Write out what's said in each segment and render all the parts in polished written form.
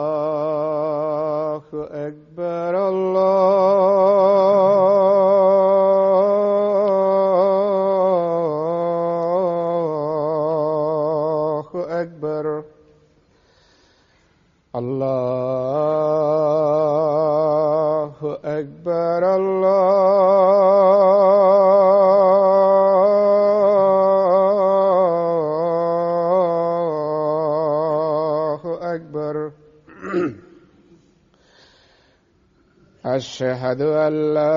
الله أكبر الله أكبر الله أكبر أشهد أن لا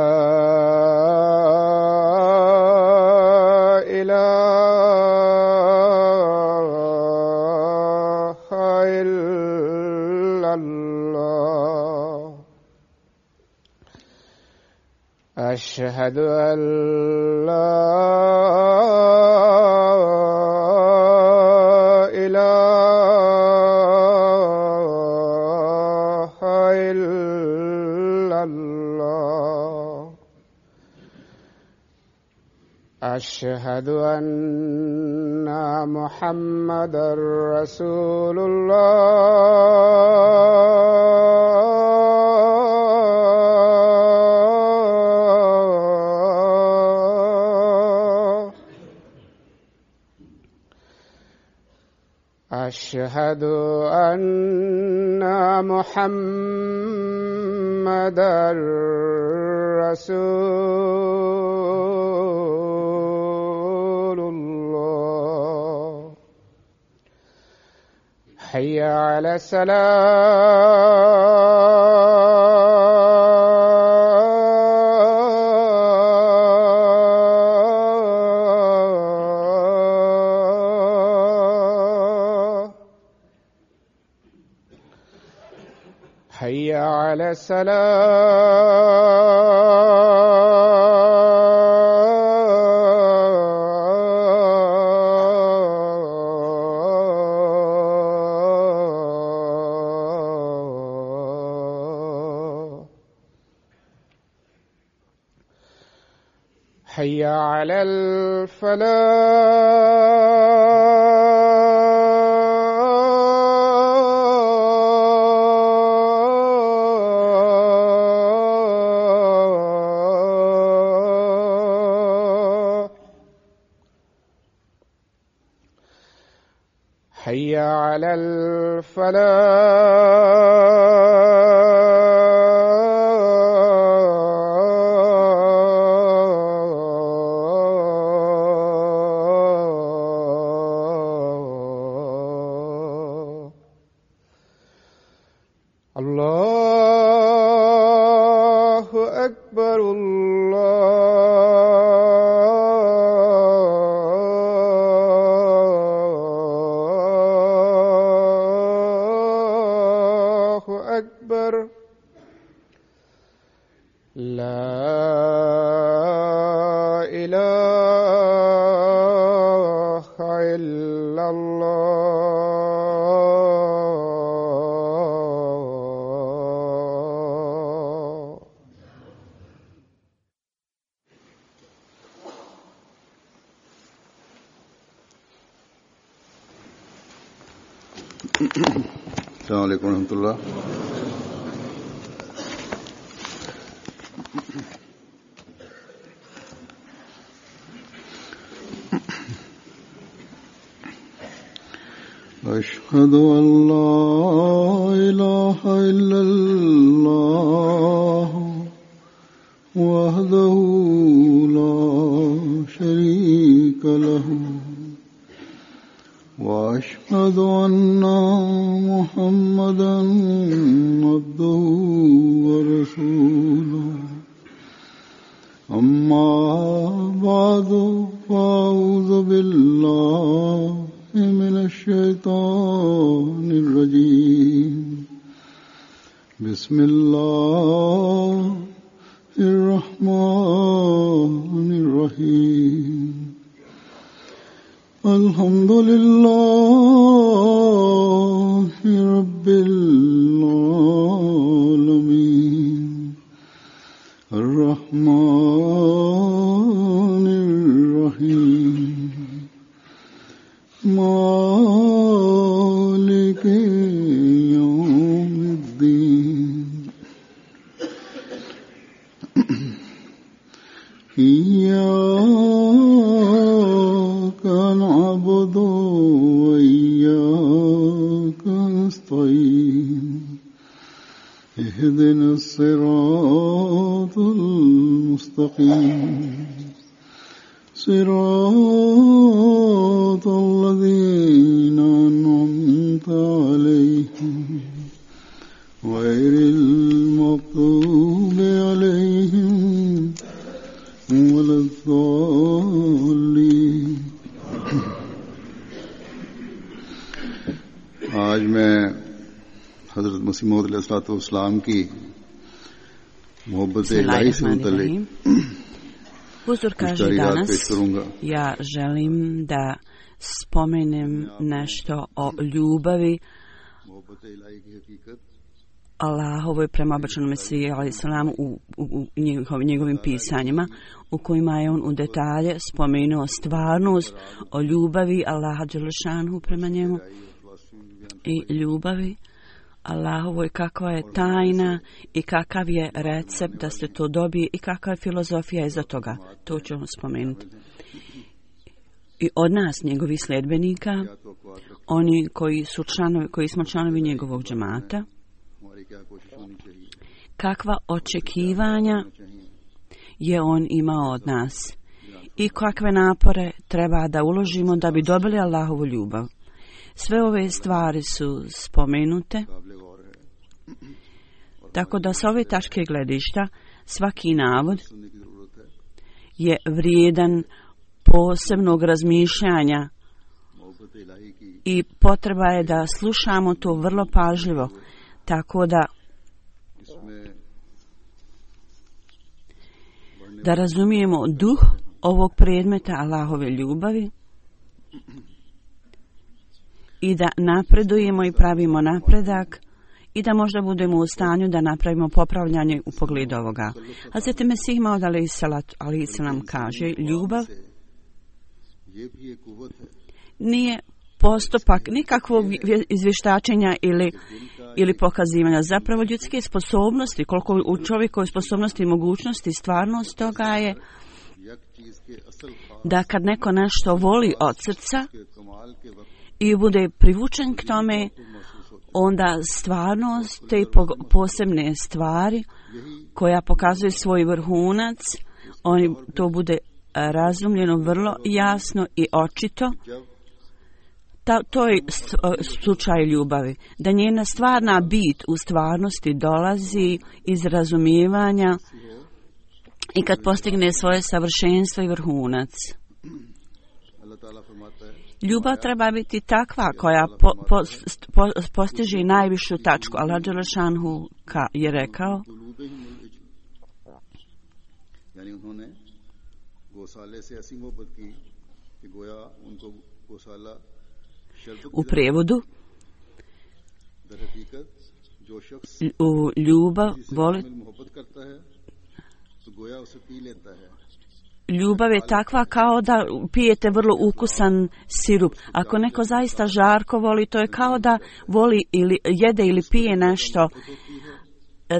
إله إلا الله أشهد أن لا إله إلا الله أشهد أن محمدا رسول الله أشهد أن محمدا رسول الله حي على الصلاة حي على الصلاة حي على الفلاح حي على الفلاح الله أكبر الله أكبر لا إله إلا الله السلام عليكم ورحمة الله. أشهد أن لا إله إلا الله وحده لا شريك له وأشهد أن محمدا عبده ورسوله أما بعد فأعوذ بالله من الشيطان الرجيم بسم الله الرحمن الرحيم الحمد لله رب العالمين الرحمن اهدنا الصراط المستقيم صراط الذين أنعمت عليهم غير المغضوب عليهم ولا الضالين. आज मैं हजरत मसीह मौद अलैहिस्सलाम की मोहब्बत इलाही से मुतल्लिक Huzur kaže danas, ja želim da spomenem nešto o ljubavi Allahovoj prema obećanom Mesiji alejhiselam u njegovim pisanjima, u kojima je on u detalje spomenuo stvarnost o ljubavi Allaha dželešanhu prema njemu i ljubavi Allahovoj, kakva je tajna i kakav je recept da se to dobije i kakva je filozofija iza toga. To ćemo spomenuti. I od nas, njegovih sljedbenika, oni koji smo članovi njegovog džemata, kakva očekivanja je on imao od nas i kakve napore treba da uložimo da bi dobili Allahovu ljubav. Sve ove stvari su spomenute, tako da sa ove tačke gledišta svaki navod je vrijedan posebnog razmišljanja i potreba je da slušamo to vrlo pažljivo, tako da razumijemo duh ovog predmeta Allahove ljubavi i da napredujemo i pravimo napredak i da možda budemo u stanju da napravimo popravljanje u pogledu ovoga. Hazreti Mesih Maud alejhiselam kaže, ljubav nije postupak nikakvog izvještačenja ili pokazivanja. Zapravo ljudske sposobnosti, koliko u čovjekovoj sposobnosti i mogućnosti, stvarnost toga je da kad neko nešto voli od srca i bude privučen k tome, onda stvarnost te posebne stvari koja pokazuje svoj vrhunac, to bude razumljeno vrlo jasno i očito. To je slučaj ljubavi. Da njena stvarna bit u stvarnosti dolazi iz razumijevanja i kad postigne svoje savršenstvo i vrhunac. Ljubav treba biti takva koja postiže najvišu tačku. Allah dželešanhu je rekao, u prijevodu, u ljubav je takva kao da pijete vrlo ukusan sirup. Ako neko zaista žarko voli, to je kao da voli ili jede ili pije nešto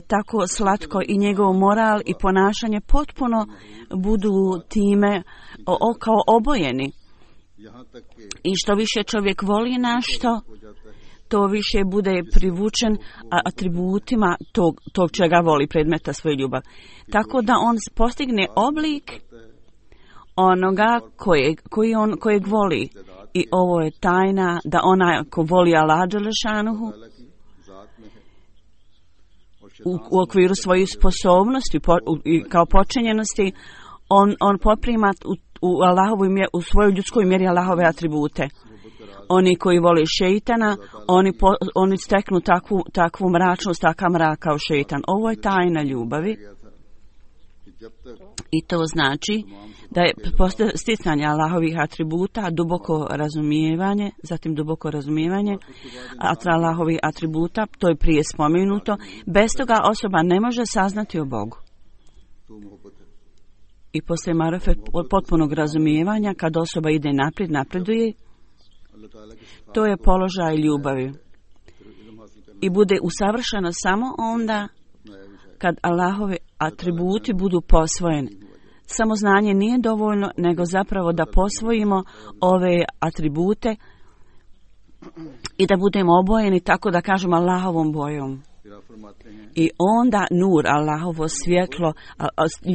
tako slatko i njegov moral i ponašanje potpuno budu time kao obojeni. I što više čovjek voli nešto, to više bude privučen atributima tog čega voli, predmeta svoje ljubav. Tako da on postigne oblik onoga kojeg voli. I ovo je tajna da onaj ko voli Allaha dželešanuhu u okviru svojih sposobnosti i kao počinjenosti, on poprima u svojoj ljudskoj mjeri Allahove atribute. Oni koji vole šeitana, oni steknu takvu mračnost, takav mrak kao šeitan. Ovo je tajna ljubavi. I to znači da je sticanje Allahovih atributa duboko razumijevanje, zatim duboko razumijevanje Allahovih atributa, to je prije spomenuto. Bez toga osoba ne može saznati o Bogu. I poslije marifet potpunog razumijevanja, kad osoba ide napreduje, to je položaj ljubavi. I bude usavršena samo onda kad Allahove atributi budu posvojeni. Samo znanje nije dovoljno, nego zapravo da posvojimo ove atribute i da budemo obojeni, tako da kažemo, Allahovom bojom. I onda nur, Allahovo svjetlo,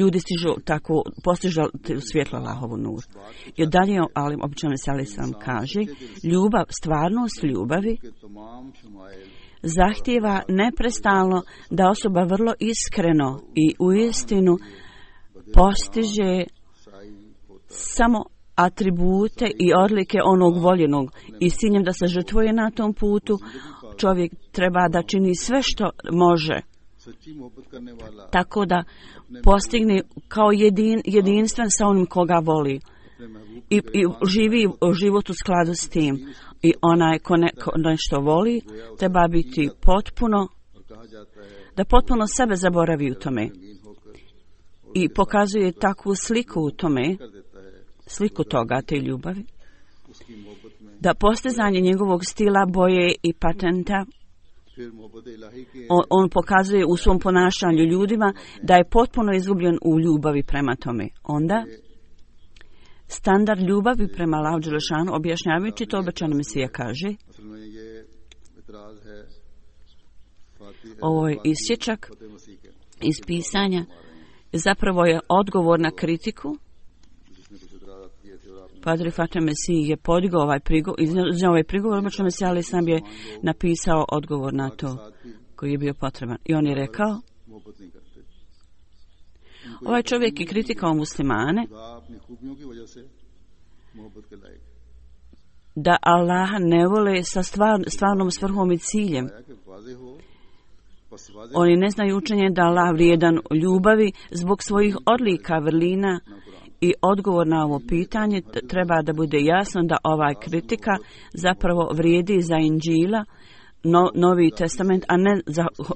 ljudi stižu tako, postižu svjetlo Allahovu nur. I dalje, ali obično se Ali sam kaže, ljubav, stvarnost ljubavi zahtijeva neprestalno da osoba vrlo iskreno i uistinu postiže samo atribute i odlike onog voljenog i s ciljem da se žrtvuje na tom putu. Čovjek treba da čini sve što može, tako da postigne kao jedinstven sa onim koga voli i živi život u skladu s tim. I onaj ko nešto voli treba biti da potpuno sebe zaboravi u tome i pokazuje takvu sliku u tome, sliku toga, te ljubavi, da postizanje njegovog stila, boje i patenta on pokazuje u svom ponašanju ljudima da je potpuno izgubljen u ljubavi prema tome. Onda standard ljubavi prema Allahu dželešanu, objašnjavajući to, obećani Mesija kaže, ovo je isječak iz pisanja, zapravo je odgovor na kritiku. Padri Fateh Mesih je podigao ovaj prigovor, obično Mesih Ali sam je napisao odgovor na to koji je bio potreban. I on je rekao, ovaj čovjek je kritikao muslimane da Allaha ne vole sa stvarnom svrhom i ciljem. Oni ne znaju učenje da Allah vrijedan ljubavi zbog svojih odlika, vrlina. I odgovor na ovo pitanje treba da bude jasno da ova kritika zapravo vrijedi za Inđila, Novi testament, a ne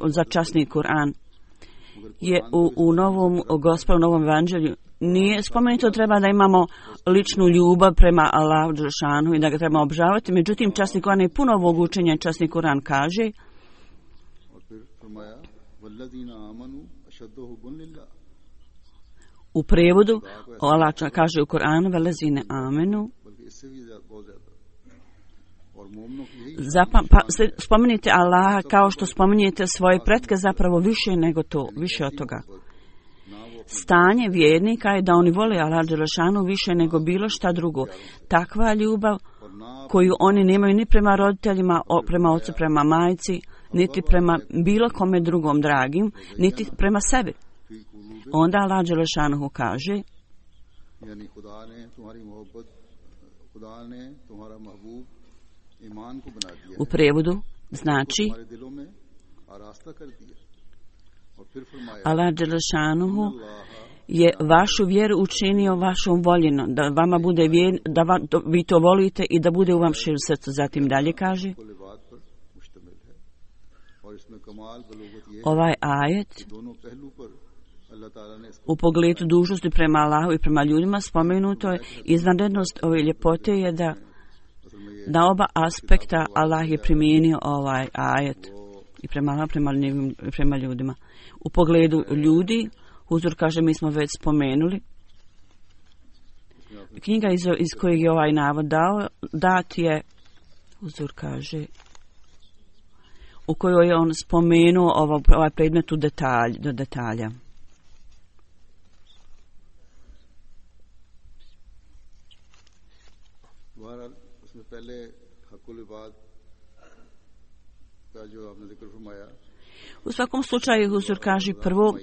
za časni Kur'an. Je u novom Gospodu, novom evanđelju nije spomenuto treba da imamo ličnu ljubav prema Allahu dželešanu i da ga trebamo obožavati. Međutim, časni Kur'an je puno ovog učenja. Časni Kur'an kaže, u prevodu, Allah kaže u Kur'anu, velezine amenu, spomenite Allaha kao što spominjete svoje pretke, zapravo više nego to, više od toga. Stanje vjernika je da oni vole Allah dželešanu više nego bilo šta drugo. Takva ljubav koju oni nemaju ni prema roditeljima, prema ocu, prema majci, niti prema bilo kome drugom dragim, niti prema sebi. Onda Allah dželešanu kaže, u prevodu znači Allah dželešanu je vašu vjeru učinio vašom voljenom, da vama bude da vi to volite i da bude u vam širom srcu. Zatim dalje kaže, ovaj ajet u pogledu dužnosti prema Allahu i prema ljudima spomenuto je. Izvanrednost ove ljepote je da na oba aspekta Allah je primijenio ovaj ajet i prema Allahu, prema ljudima. U pogledu ljudi, Huzur kaže, mi smo već spomenuli. Knjiga iz kojeg je ovaj navod dat je, Huzur kaže, u kojoj je on spomenuo ovaj predmet do detalja. U svakom slučaju Huzur kaže, prvo,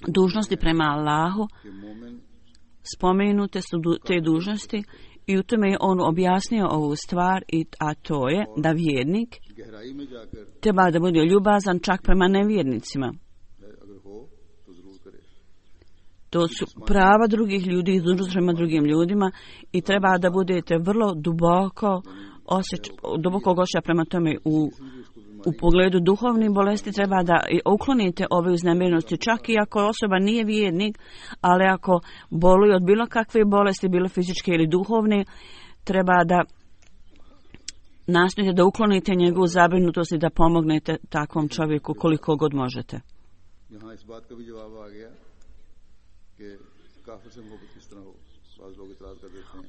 dužnosti prema Allahu, spomenute su te dužnosti i u tome je on objasnio ovu stvar, a to je da vjernik treba da bude ljubazan čak prema nevjernicima. To su prava drugih ljudi i dužnost prema drugim ljudima i treba da budete vrlo duboko osjećaja prema tome. U pogledu duhovnih bolesti treba da uklonite ove uznemirenosti, čak i ako osoba nije vjernik, ali ako boluje od bilo kakve bolesti, bilo fizičke ili duhovne, treba da nastojite da uklonite njegovu zabrinutost i da pomognete takvom čovjeku koliko god možete.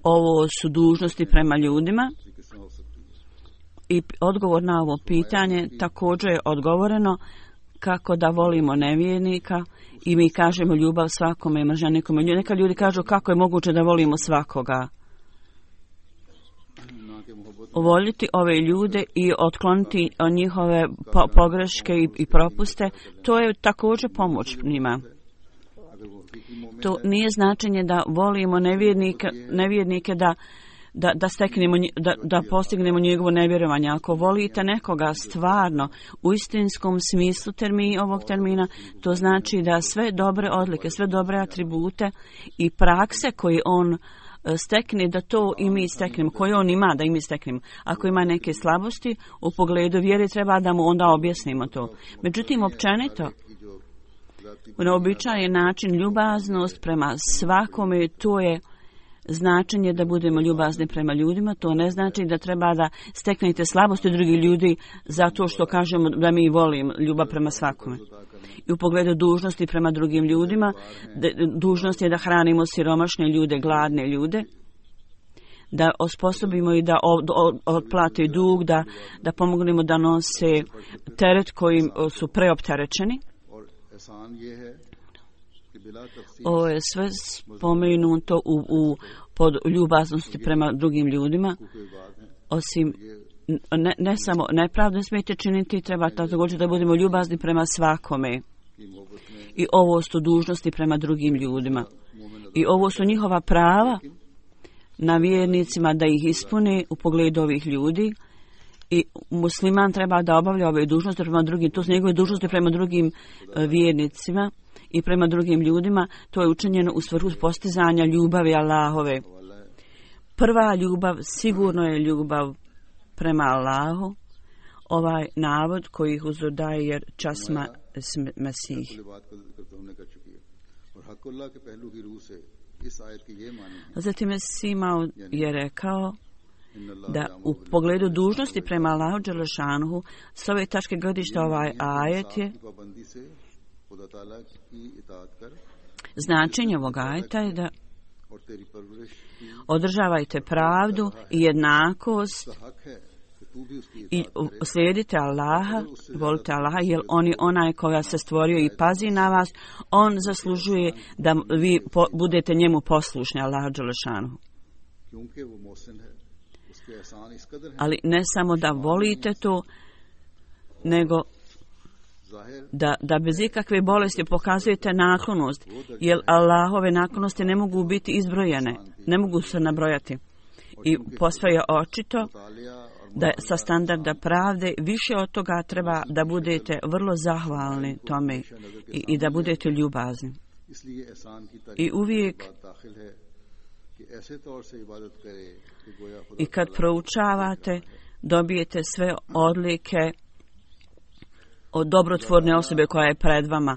Ovo su dužnosti prema ljudima. I odgovor na ovo pitanje također je odgovoreno kako da volimo nevjernika i mi kažemo ljubav svakome i mržnja nikome. Neka ljudi kažu kako je moguće da volimo svakoga. Voljeti ove ljude i otkloniti njihove pogreške i propuste, to je također pomoć njima. To nije značenje da volimo nevjernike da postignemo njegovo nevjerovanje. Ako volite nekoga stvarno u istinskom smislu ovog termina, to znači da sve dobre odlike, sve dobre atribute i prakse koje on stekne, da to i mi steknemo, koje on ima da i mi steknemo. Ako ima neke slabosti u pogledu vjere, treba da mu onda objasnimo to. Međutim, općenito, na običajen način ljubaznost prema svakome, to je značenje da budemo ljubazni prema ljudima. To ne znači da treba da steknete slabosti drugih ljudi zato što kažemo da mi volimo ljubav prema svakome. I u pogledu dužnosti prema drugim ljudima, dužnost je da hranimo siromašne ljude, gladne ljude, da osposobimo i da otplate dug, da pomognemo da nose teret kojim su preopterećeni. Ovo je sve spomenuto pod ljubaznosti prema drugim ljudima, osim ne samo nepravdu smijete činiti, treba također da budemo ljubazni prema svakome. I ovo su dužnosti prema drugim ljudima. I ovo su njihova prava na vjernicima da ih ispune u pogledu ovih ljudi. I musliman treba da obavlja ove dužnosti prema drugim, to su njegove dužnosti prema drugim vjernicima i prema drugim ljudima. To je učinjeno u svrhu postizanja ljubavi Allahove. Prva ljubav sigurno je ljubav prema Allahu. Ovaj navod koji huzur daje jer časma Mesih. Zatim Mesih je rekao da u pogledu dužnosti prema Allahu Đelešanuhu s ove tačke gledišta ovaj ajet je značenje ovog ajeta je da održavajte pravdu i jednakost i slijedite Allaha, volite Allaha, jer on je onaj koja se stvorio i pazi na vas, on zaslužuje da vi budete njemu poslušni, Allahu Đelešanuhu. Ali ne samo da volite to, nego da bez ikakve bolesti pokazujete naklonost, jer Allahove naklonosti ne mogu biti izbrojene, ne mogu se nabrojati. I posve je očito da sa standarda pravde više od toga treba da budete vrlo zahvalni tome i da budete ljubazni. I uvijek i kad proučavate dobijete sve odlike od dobrotvorne osobe koja je pred vama.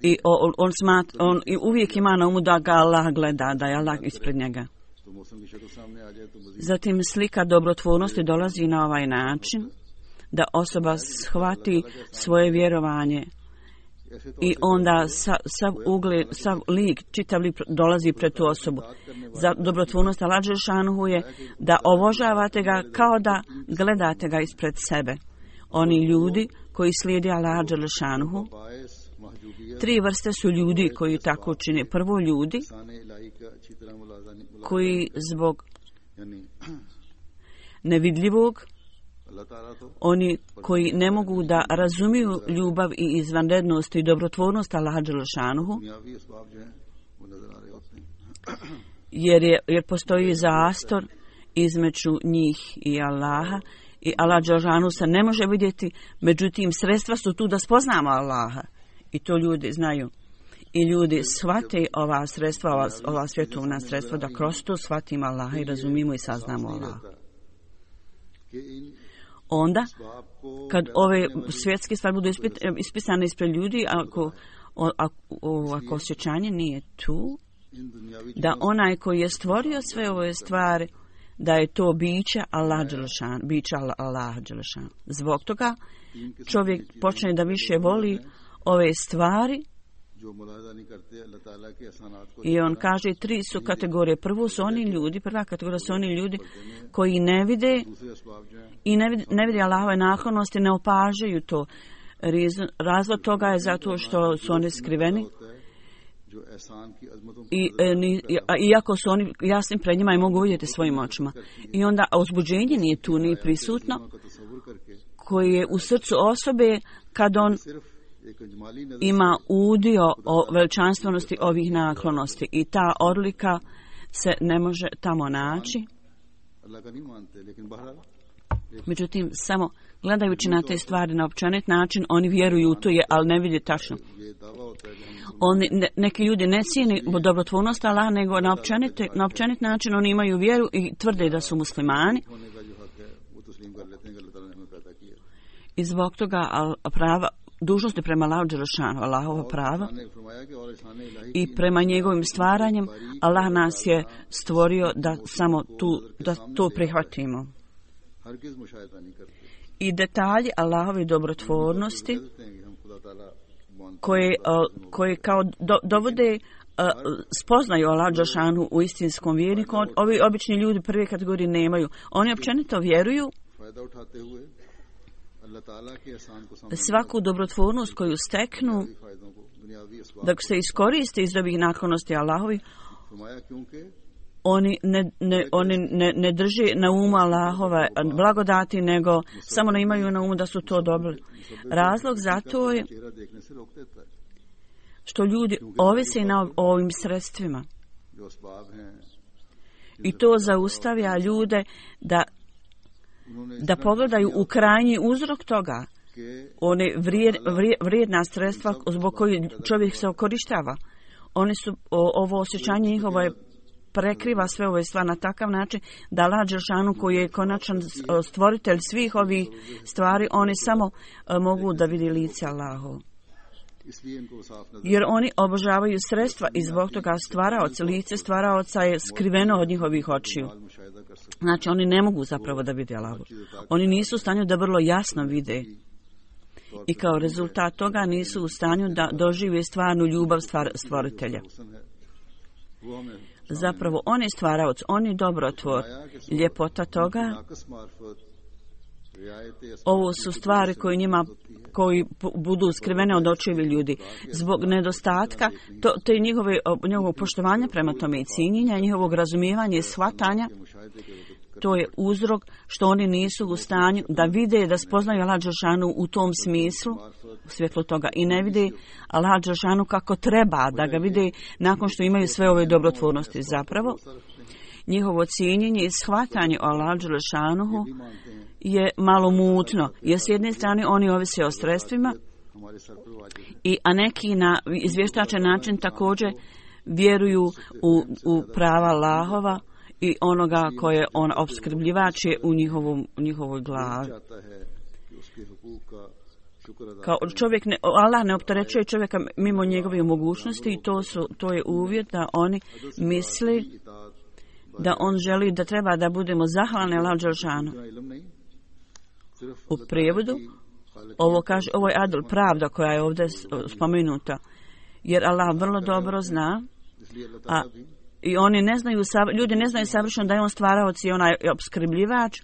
I on uvijek ima na umu da ga Allah gleda, da je Allah ispred njega. Zatim slika dobrotvornosti dolazi na ovaj način da osoba shvati svoje vjerovanje i onda sav lik, čitav lik dolazi pred tu osobu. Za dobrotvornost Allah Đelešanuhu je da obožavate ga kao da gledate ga ispred sebe. Oni ljudi koji slijede Allah Đelešanuhu, tri vrste su ljudi koji tako čine. Prvo ljudi koji zbog nevidljivog, oni koji ne mogu da razumiju ljubav i izvanrednost i dobrotvornost Allaha Đelešanuhu, jer postoji zastor između njih i Allaha i Allah Đelešanuhu se ne može vidjeti, međutim sredstva su tu da spoznamo Allaha i to ljudi znaju. I ljudi shvate ova sredstva, ova svjetovna sredstva, da kroz to shvatimo Allaha i razumimo i saznamo Allaha. Onda, kad ove svjetske stvari budu ispisane ispred ljudi, ako osjećanje nije tu, da onaj koji je stvorio sve ove stvari, da je to biće Allaha Đelešan. Zbog toga čovjek počne da više voli ove stvari I on kaže 3 su kategorije. Prva kategorija su oni ljudi koji ne vide i ne vide Allahove naklonosti, ne opažaju to. Razlog toga je zato što su oni skriveni. Iako su oni jasni pred njima i mogu vidjeti svojim očima. I onda uzbuđenje nije tu, nije prisutno, koji je u srcu osobe kad on ima udio o veličanstvenosti ovih naklonosti. I ta odlika se ne može tamo naći. Međutim, samo gledajući na te stvari na općenit način, oni vjeruju u to, ali ne vidi tačno. Neki ljudi ne cijeni dobrotvornost Allaha, nego na općenit način oni imaju vjeru i tvrde da su muslimani. I zbog toga dužnosti prema Allahu dželešanu, Allahova prava i prema njegovim stvaranjem, Allah nas je stvorio da samo da to prihvatimo. I detalji Allahove dobrotvornosti koje kao dovode spoznaju Allah dželešanu u istinskom vjerniku, ovi obični ljudi prve kategorije nemaju. Oni općenito vjeruju svaku dobrotvornost koju steknu, da se iskoriste iz ovih naklonosti Allahovi, oni ne drže na umu Allahove blagodati, nego samo ne imaju na umu da su to dobili. Razlog za to je što ljudi ovise na ovim sredstvima. I to zaustavlja ljude da pogledaju u krajnji uzrok toga, one vrijedna sredstva zbog kojih čovjek se okorištava. Oni su, ovo osjećanje njihovo je prekriva sve ove stvari na takav način da Allah dželešanu, koji je konačan stvoritelj svih ovih stvari, oni samo mogu da vidi lice Allahovo. Jer oni obožavaju sredstva i zbog toga lice stvaraoca je skriveno od njihovih očiju. Znači oni ne mogu zapravo da vide Allahovu. Oni nisu u stanju da vrlo jasno vide. I kao rezultat toga nisu u stanju da dožive stvarnu ljubav stvoritelja. Zapravo on je stvaraoc, on je dobrotvor. Ljepota toga, ovo su stvari koji budu skrivene od očiju ljudi. Zbog nedostatka te njihovog poštovanja prema tome i cijenjenja, njihovog razumijevanja i shvatanja, to je uzrok što oni nisu u stanju da vide, da spoznaju Allah dželešanu u tom smislu, u svjetlu toga, i ne vide Allah dželešanu kako treba da ga vide nakon što imaju sve ove dobrotvornosti. Zapravo, njihovo cijenjenje i shvatanje o Allah dželešanuhu je malo mutno, jer s jedne strane oni ovise o sredstvima, a neki na izvještačan način također vjeruju u prava Allahova i onoga koje on opskrbljivač je u njihovoj glavi. Kao čovjek Allah ne opterećuje čovjeka mimo njegove mogućnosti i to je uvjet da oni misli da on želi da treba da budemo zahvalni Allahu dželešanu. U prijevodu ovo je adl, pravda koja je ovdje spomenuta, jer Allah vrlo dobro zna, i ljudi ne znaju savršeno da je on stvaraoc i onaj opskrbljivač,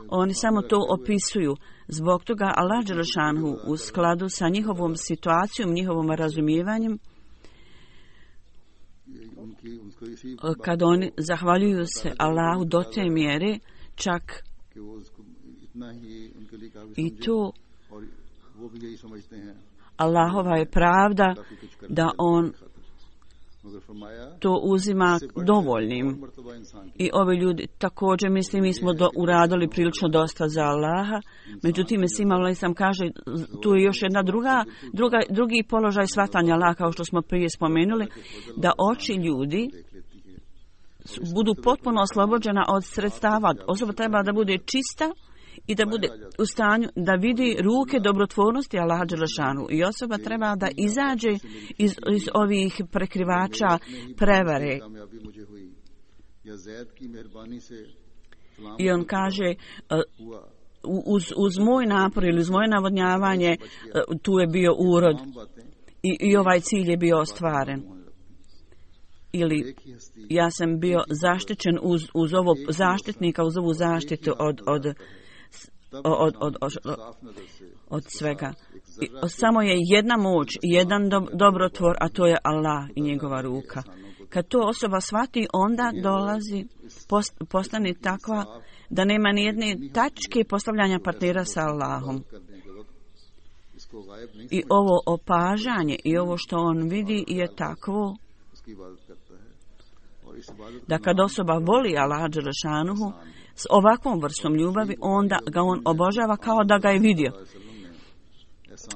oni samo to opisuju. Zbog toga Allah dželešanu u skladu sa njihovom situacijom, njihovom razumijevanjem, kad oni zahvaljuju se Allahu do te mjere, čak i to Allahova je pravda da on to uzima dovoljnim. I ovi ljudi također misli, mi smo uradili prilično dosta za Allaha, međutim Mesih sam kaže, tu je još jedna drugi položaj shvatanja Allaha, kao što smo prije spomenuli, da oči ljudi budu potpuno oslobođena od sredstava. Osoba treba da bude čista i da bude u stanju da vidi ruke dobrotvornosti Allaha dželešanu. I osoba treba da izađe iz ovih prekrivača prevare. I on kaže, uz moj napor ili uz moje navodnjavanje, tu je bio urod. i ovaj cilj je bio ostvaren. Ili ja sam bio zaštićen uz ovo zaštitnika, uz ovu zaštitu od svega. Samo je jedna moć, jedan dobrotvor, a to je Allah i njegova ruka. Kad to osoba shvati, onda dolazi, postane takva da nema ni jedne tačke postavljanja partnera sa Allahom. I ovo opažanje i ovo što on vidi je takvo da kad osoba voli Allaha dželešanuhu s ovakvom vrstom ljubavi, onda ga on obožava kao da ga je vidio.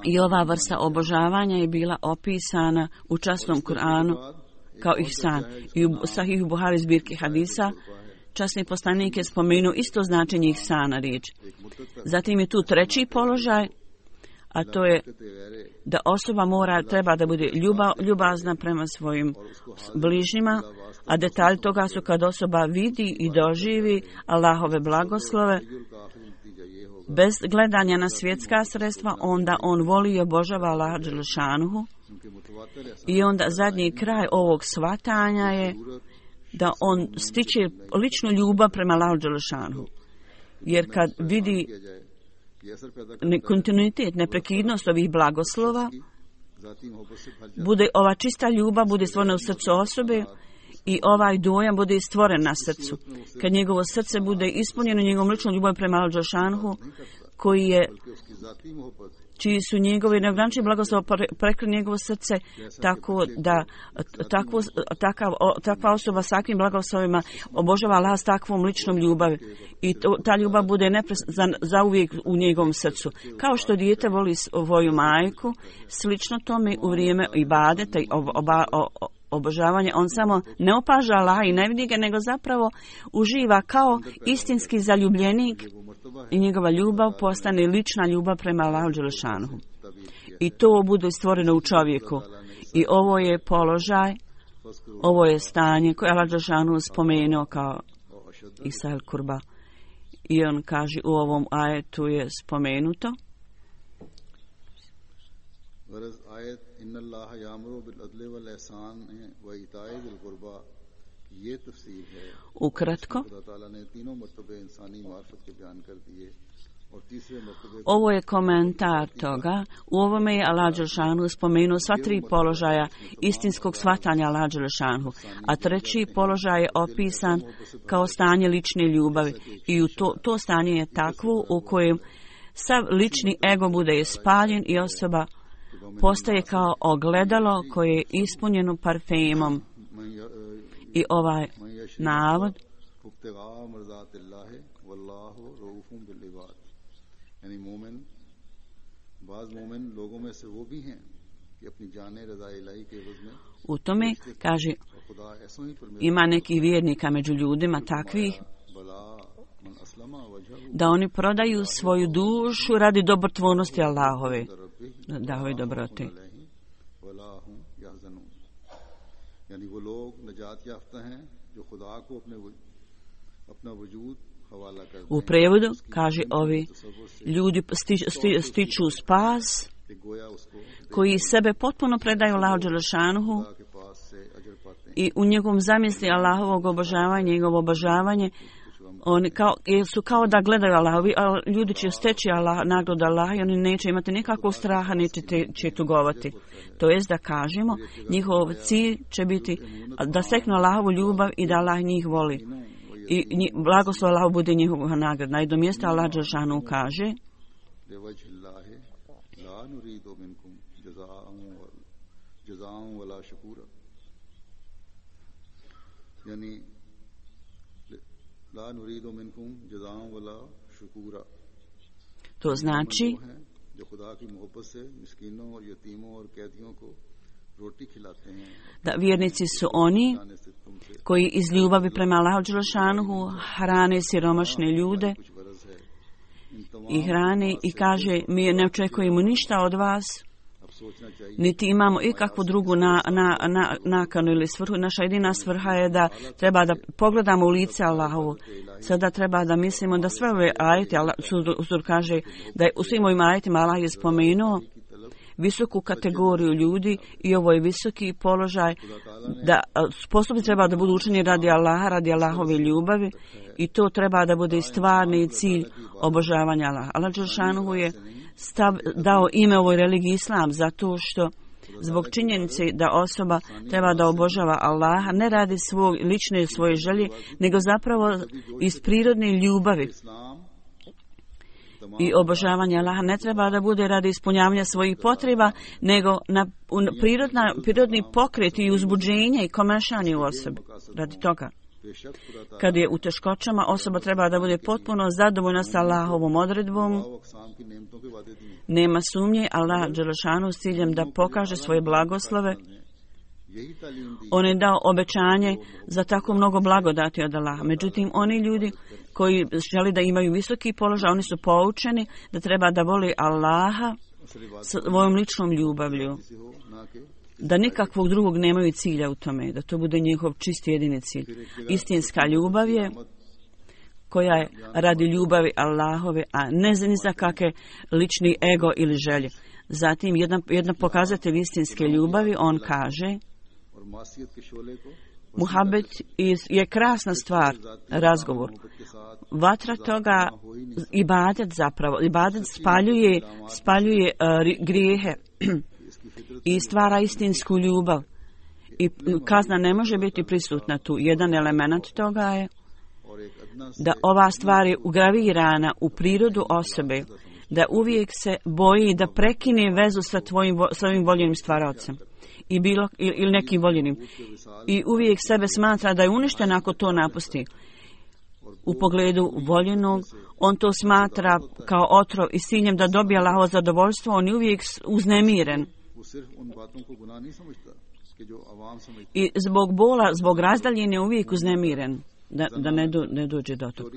I ova vrsta obožavanja je bila opisana u časnom Kur'anu kao ihsan. I u Sahih Buhari zbirke hadisa časni poslanik je spomenuo isto značenje ihsana riječ. Zatim je tu treći položaj, a to je da osoba treba da bude ljubazna prema svojim bližnjima, a detalj toga su kad osoba vidi i doživi Allahove blagoslove, bez gledanja na svjetska sredstva, onda on voli i obožava Allaha dželešanuhu. I onda zadnji kraj ovog shvatanja je da on stiče ličnu ljubav prema Allahu dželešanuhu. Jer kad vidi kontinuitet, neprekidnost ovih blagoslova, bude ova čista ljubav bude stvorena u srcu osobe i ovaj dojam bude stvoren na srcu. Kad njegovo srce bude ispunjeno njegovom ličnom ljubavom prema Allahu dželešanuhu, čiji su njegovi neograničeni blagoslov prekli njegovo srce, tako da takva osoba s takvim blagoslovima obožava Allaha s takvom ličnom ljubavi. I ta ljubav bude zauvijek u njegovom srcu. Kao što dijete voli svoju majku, slično tome u vrijeme ibadeta i obožavanja, on samo ne opaža Allaha i ne vidi ga, nego zapravo uživa kao istinski zaljubljenik i njegova ljubav postane lična ljubav prema Allahu dželešanuhu. I to bude stvoreno u čovjeku. I ovo je položaj, ovo je stanje koje Allah dželešanuhu spomenuo kao Isal Kurba. I on kaže u ovom ajetu je spomenuto. Ukratko, ovo je komentar toga. U ovome je Allah dželešanuhu spomenuo sva tri položaja istinskog shvatanja Allah dželešanuhu, a treći položaj je opisan kao stanje lične ljubavi. I to stanje je takvo u kojem sav lični ego bude spaljen i osoba postaje kao ogledalo koje je ispunjeno parfemom. I ovaj navod u tome kaže ima nekih vjernika među ljudima takvih da oni prodaju svoju dušu radi dobrotvornosti Allahove, Allahove dobrote. U prevodu kaže ovi ljudi stiču spas koji sebe potpuno predaju Allahu dželešanuhu i u njegovom zamisli Allahovog obožavanja, njegovo obožavanje oni su kao da gledaju Allahovi, a ljudi će steći nagradu Allaha i oni neće imati nikakvog straha, niti će tugovati. To jest da kažemo, njihov cilj će biti da steknu Allahovu ljubav i da Allah njih voli. I blagoslov Allahu bude njihova nagrada. Na jednom mjestu Allah dželešanuhu kaže to znači da vjernici su oni koji iz ljubavi prema Allahu dželešanuhu hrane siromašne ljude i hrane i kaže mi ne očekujemo ništa od vas, niti imamo ikakvu drugu nakanu ili svrhu. Naša jedina svrha je da treba da pogledamo u lice Allahovu. Sada treba da mislimo da sve ove ajete, Allah kaže da je u svim ovim ajetima Allah je spomenuo visoku kategoriju ljudi i ovo je visoki položaj da sposobni treba da budu učeni radi Allaha, radi Allahove ljubavi i to treba da bude stvarni cilj obožavanja Allaha. Allah dželešanu je dao ime ovoj religiji Islam zato što zbog činjenice da osoba treba da obožava Allaha ne radi lične svoje želje, nego zapravo iz prirodne ljubavi. I obožavanje Allaha ne treba da bude radi ispunjavanja svojih potreba, nego na prirodni pokret i uzbuđenje i komešanje u osobi. Radi toga. Kad je u teškoćama, osoba treba da bude potpuno zadovoljna sa Allahovom odredbom. Nema sumnje, Allah dželešanu s ciljem da pokaže svoje blagoslove. On je dao obećanje za tako mnogo blagodati od Allaha. Međutim, oni ljudi koji želi da imaju visoki položaj, oni su poučeni da treba da voli Allaha svojom ličnom ljubavlju. Da nikakvog drugog nemaju cilja u tome, da to bude njihov čisti jedini cilj. Istinska ljubav je koja je radi ljubavi Allahove, a ne ni za kakve lični ego ili želje. Zatim, jedan pokazatelj istinske ljubavi, on kaže, muhabet je krasna stvar, razgovor. Vatra toga, ibadet zapravo, ibadet spaljuje grijehe i stvara istinsku ljubav. I kazna ne može biti prisutna tu. Jedan element toga je da ova stvar je ugravirana u prirodu osobe, da uvijek se boji da prekine vezu sa svojim voljenim stvarocem ili nekim voljenim. I uvijek sebe smatra da je uništen ako to napusti. U pogledu voljenog, on to smatra kao otrov i s ciljem da dobije Allahovo zadovoljstvo, on je uvijek uznemiren. I zbog bola, zbog razdaljine je uvijek uznemiren, da ne dođe do toga.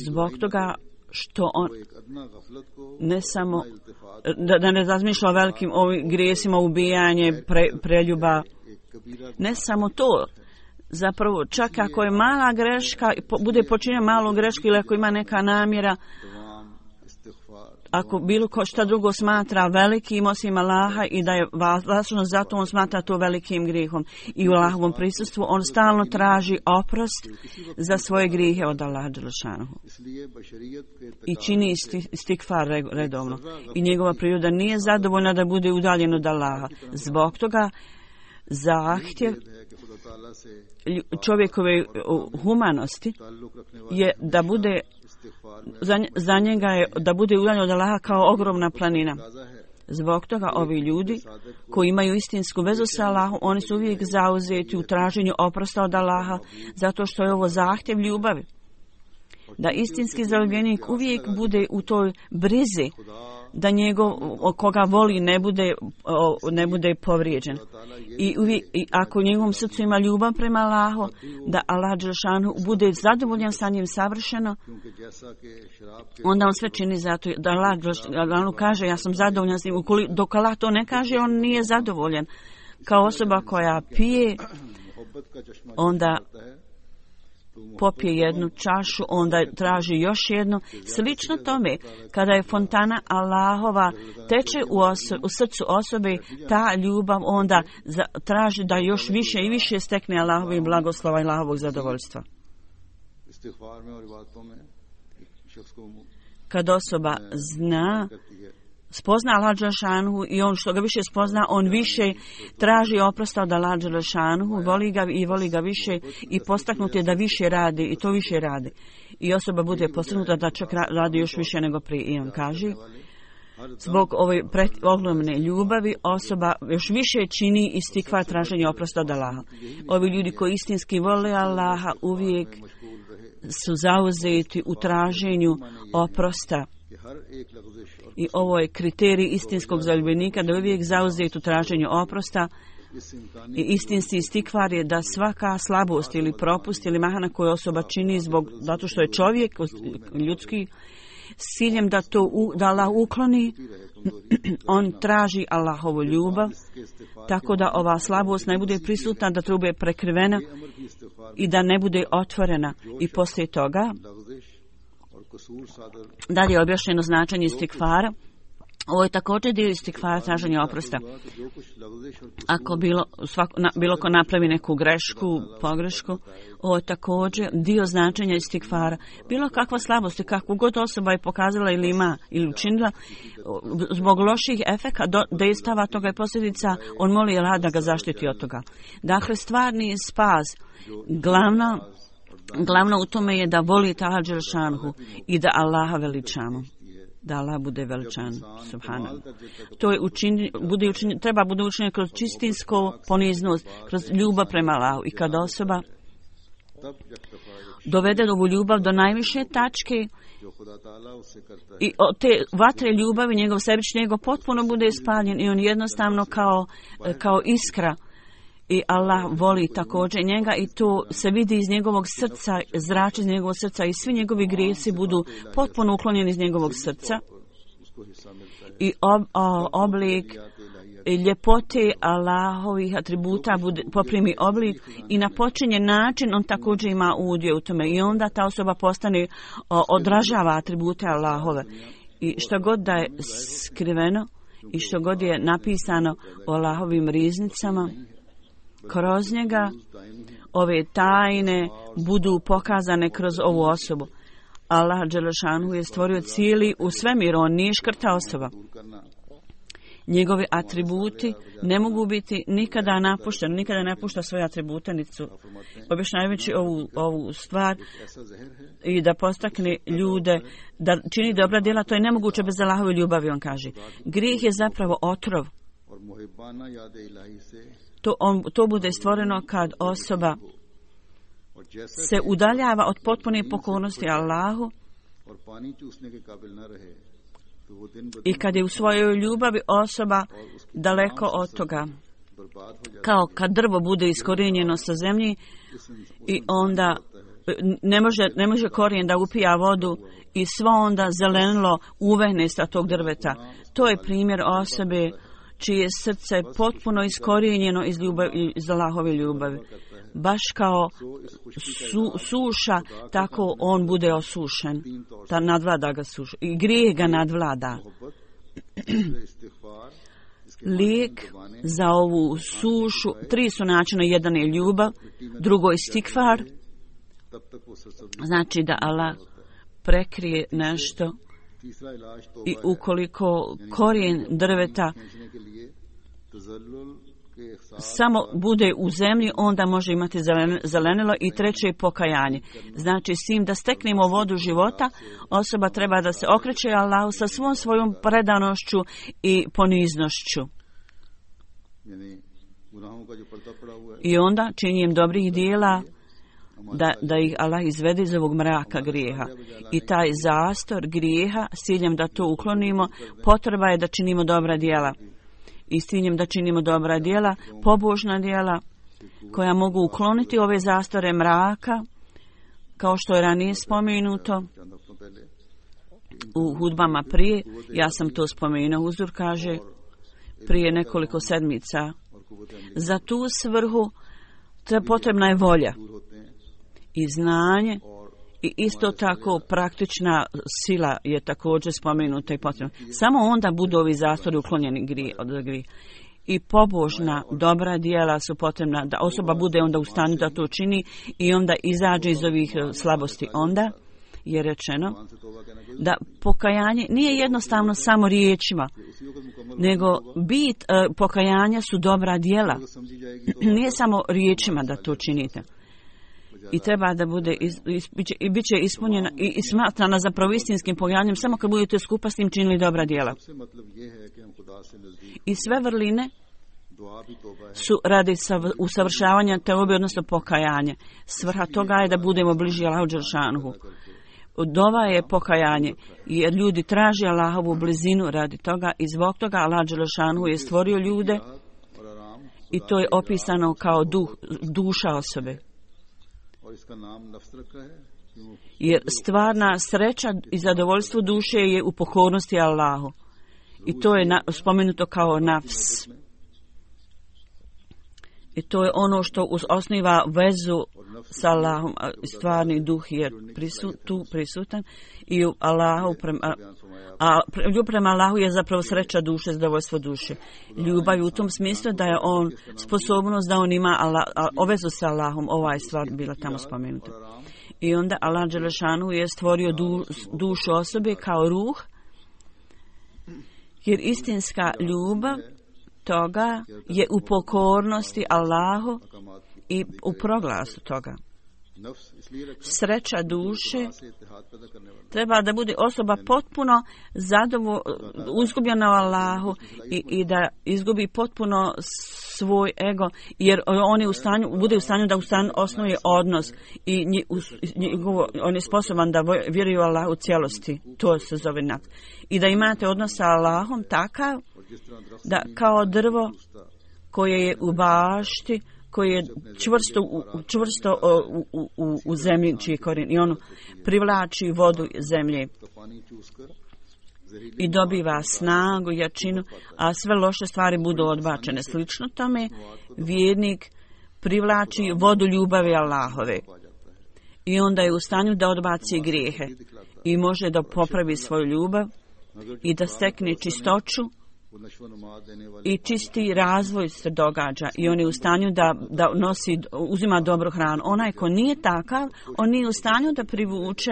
Zbog toga što on ne samo da ne razmišlja o velikim grijesima, ubijanje, preljuba, ne samo to. Zapravo, čak ako je mala greška, bude počinjena malu grešku ili ako ima neka namjera, ako bilo šta drugo smatra velikim osim Allaha i da je važno, zato on smatra to velikim grijehom. I u Allahovom prisustvu on stalno traži oprost za svoje grijehe od Allaha dželešanohu. I čini istikfar redovno. I njegova priroda nije zadovoljna da bude udaljen od Allaha. Zbog toga zahtjev čovjekove humanosti je da bude za njega je da bude udaljen od Allaha kao ogromna planina. Zbog toga ovi ljudi koji imaju istinsku vezu sa Allahom, oni su uvijek zauzeti u traženju oprosta od Allaha, zato što je ovo zahtjev ljubavi. Da istinski zaljubljenik uvijek bude u toj brizi, da njegov koga voli ne bude povrijeđen. I ako u njegovom srcu ima ljubav prema Allahu, da Allah dželešanu bude zadovoljan sa njim savršeno, onda on sve čini zato da Allah dželešanu kaže ja sam zadovoljan s njim. Dok Allah to ne kaže, on nije zadovoljan. Kao osoba koja pije, onda popije jednu čašu, onda traži još jednu. Slično tome, kada je fontana Allahova teče u srcu osobe, ta ljubav onda traži da još više i više stekne Allahovi blagoslova i Allahovog zadovoljstva. Kad osoba spozna Allah dželešanu i on što ga više spozna, on više traži oprosta od Allah dželešanu, voli ga više i postaknut je da više radi i to više radi. I osoba bude postignuta da čak radi još više nego prije. I on kaže, zbog ove ogromne ljubavi osoba još više čini istikvar traženje oprosta od Allaha. Ovi ljudi koji istinski vole Allaha uvijek su zauzeti u traženju oprosta. I ovo je kriterij istinskog zaljubljenika, da uvijek zauzeti u traženju oprosta. I istinski istikvar je da svaka slabost ili propust ili mahana koju osoba čini zato što je čovjek ljudski, s ciljem da Allah ukloni, on traži Allahovu ljubav, tako da ova slabost ne bude prisutna, da to bude prekrivena i da ne bude otvorena. I poslije toga dalje je objašnjeno značenje istikvara. Ovo je također dio istikfara, traženja oprosta. Ako bilo ko napravi neku pogrešku, ovo je također dio značenja istikfara. Bilo kakva slabost, kakvu god osoba je pokazala ili ima ili učinila, zbog loših efekata, dejstava toga je posljedica, on moli Allah da ga zaštiti od toga. Dakle, stvarni spas, glavno u tome je da volite Allah dželšanhu i da Allaha veličamo. Da Allah bude veličan, subhanallah. To je treba bude učinjeno kroz čistinsko poniznost, kroz ljubav prema Allahu. I kada osoba dovede ovu ljubav do najviše tačke i od te vatre ljubavi njegov sebični ego potpuno bude ispaljen i on jednostavno kao iskra. I Allah voli također njega i to se vidi iz njegovog srca, zrači iz njegovog srca i svi njegovi grijesi budu potpuno uklonjeni iz njegovog srca. I oblik ljepote Allahovih atributa poprimi oblik i na počinjen način on također ima udio u tome i onda ta osoba odražava atribute Allahove. I što god da je skriveno i što god je napisano o Allahovim riznicama, kroz njega ove tajne budu pokazane kroz ovu osobu. Allah dželešanhu je stvorio cijeli u svemiru, on nije škrta osoba. Njegovi atributi ne mogu biti nikada napušteni, nikada ne napušta svoje atribute, niti su objašnjavajući ovu stvar i da postakne ljude da čini dobra djela, to je nemoguće bez Allahove ljubavi, on kaže. Grijeh je zapravo otrov. To bude stvoreno kad osoba se udaljava od potpune pokornosti Allahu i kad je u svojoj ljubavi osoba daleko od toga. Kao kad drvo bude iskorijenjeno sa zemlji i onda ne može korijen da upija vodu i svo onda zelenilo uvehne sa tog drveta. To je primjer osobe čije srce je potpuno iskorijenjeno iz Allahove ljubavi. Baš kao suša, tako on bude osušen. Ta nadvlada ga suša. I grijeh ga nadvlada. Lijek za ovu sušu, 3 su načina. Jedan je ljubav, drugo je istikfar. Znači da Allah prekrije nešto i ukoliko korijen drveta samo bude u zemlji, onda može imati zelenilo i treće je pokajanje. Znači, s tim da steknemo vodu života, osoba treba da se okreće Allahu sa svom svojom predanošću i poniznošću. I onda činjenjem dobrih dijela da ih Allah izvede iz ovog mraka grijeha. I taj zastor grijeha, s ciljem da to uklonimo, potreba je da činimo dobra djela. I s ciljem da činimo dobra djela, pobožna djela, koja mogu ukloniti ove zastore mraka, kao što je ranije spomenuto u hudbama prije. Ja sam to spomenuo, Huzur kaže, prije nekoliko sedmica. Za tu svrhu potrebna je volja i znanje i isto tako praktična sila je također spomenuta i potrebna. Samo onda budu ovi zastori uklonjeni od grija. I pobožna, dobra djela su potrebna da osoba bude onda u stanju da to čini i onda izađe iz ovih slabosti. Onda je rečeno da pokajanje nije jednostavno samo riječima, nego bit pokajanja su dobra djela. Nije samo riječima da to činite. I treba da bude i bit će ispunjena i smatrana zapravo istinskim pokajanjem samo kad budete skupa s tim činili dobra djela. I sve vrline su radi usavršavanja teobe, odnosno pokajanje. Svrha toga je da budemo bliži Allahu dželšanuhu. Dova je pokajanje, jer ljudi traže Allahovu blizinu radi toga i zbog toga Allah dželšanuhu je stvorio ljude i to je opisano kao duša osobe. Jer stvarna sreća i zadovoljstvo duše je u pokornosti Allahu. I to je spomenuto kao nafs. I to je ono što osniva vezu sa Allahom. Stvarni duh je tu prisutan i Allahu ljubav prema Allahu je zapravo sreća duše, zadovoljstvo duše. Ljubav u tom smislu da je on sposobnost da on ima vezu sa Allahom. Ova je stvar bila tamo spomenuta. I onda Allah dželešanu je stvorio dušu osobe kao ruh, jer istinska ljubav toga je u pokornosti Allahu i u proglasu toga. Sreća duše treba da bude osoba potpuno uzgubljena u Allahu i da izgubi potpuno svoj ego, jer on je bude u stanju da osnuje odnos i on je sposoban da vjeruje u Allahu u cijelosti. To se zove nafs. I da imate odnos sa Allahom takav da kao drvo koje je u bašti, koje je čvrsto u zemlji čiji korijen i ono privlači vodu zemlje i dobiva snagu, jačinu, a sve loše stvari budu odbačene. Slično tome, vjernik privlači vodu ljubavi Allahove i onda je u stanju da odbaci grijehe i može da popravi svoju ljubav i da stekne čistoću i čisti razvoj se događa i on je u stanju da uzima dobru hranu. Onaj ko nije takav, on nije u stanju da privuče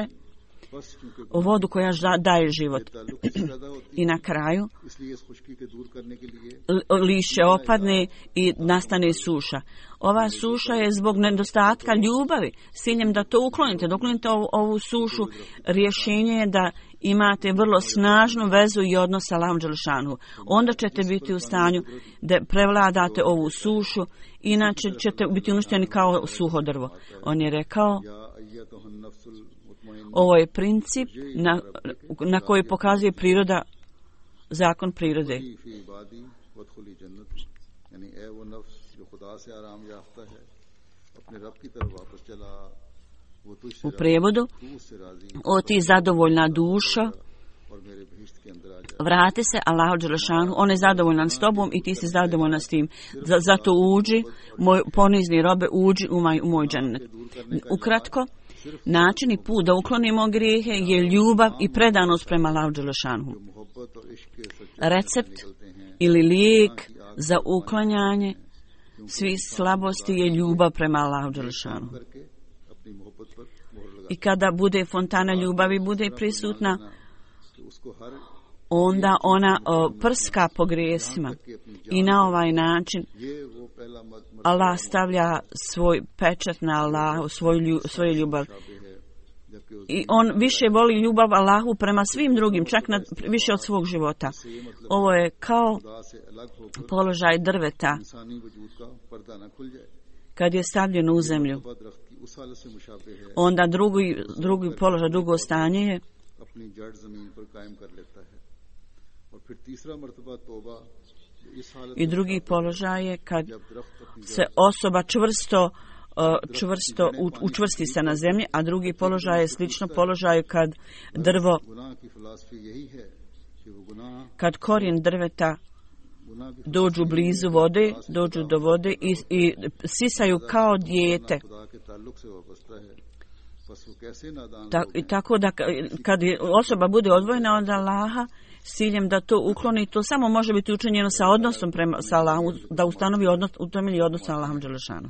vodu koja daje život. I na kraju lišće opadne i nastane suša. Ova suša je zbog nedostatka ljubavi. S ciljem da to uklonite. Da uklonite ovu sušu, rješenje je da imate vrlo snažnu vezu i odnos sa Allahom dželešanu. Onda ćete biti u stanju da prevladate ovu sušu, inače ćete biti uništeni kao suho drvo. On je rekao, ovo je princip na koji pokazuje priroda, zakon prirode. U prijevodu, o ti zadovoljna dušo, vrati se Allahu dželešanu, on je zadovoljan s tobom i ti si zadovoljna s tim. Zato uđi, moj ponizni robe, uđi u moj džennet. Ukratko, način i put da uklonimo grijehe je ljubav i predanost prema Allahu dželešanu. Recept ili lijek za uklanjanje svih slabosti je ljubav prema Allahu dželešanu. I kada bude fontana ljubavi bude prisutna, onda ona prska po grijesima i na ovaj način Allah stavlja svoj pečat na Allahu, svoju ljubav. I on više voli ljubav Allahu prema svim drugim, čak više od svog života. Ovo je kao položaj drveta kad je stavljeno u zemlju. Onda drugi položaj, drugo stanje je i drugi položaj je kad se osoba čvrsto učvrsti se na zemlji, a drugi položaj je slično položaju kad drvo, kad korijen drveta dođu blizu vode, dođu do vode i sisaju kao dijete. Tako da kad osoba bude odvojena od Allaha s ciljem da to ukloni, to samo može biti učinjeno sa odnosom sa Allahom, da ustanovi odnos, utemelji odnos sa Allahom dželešanu.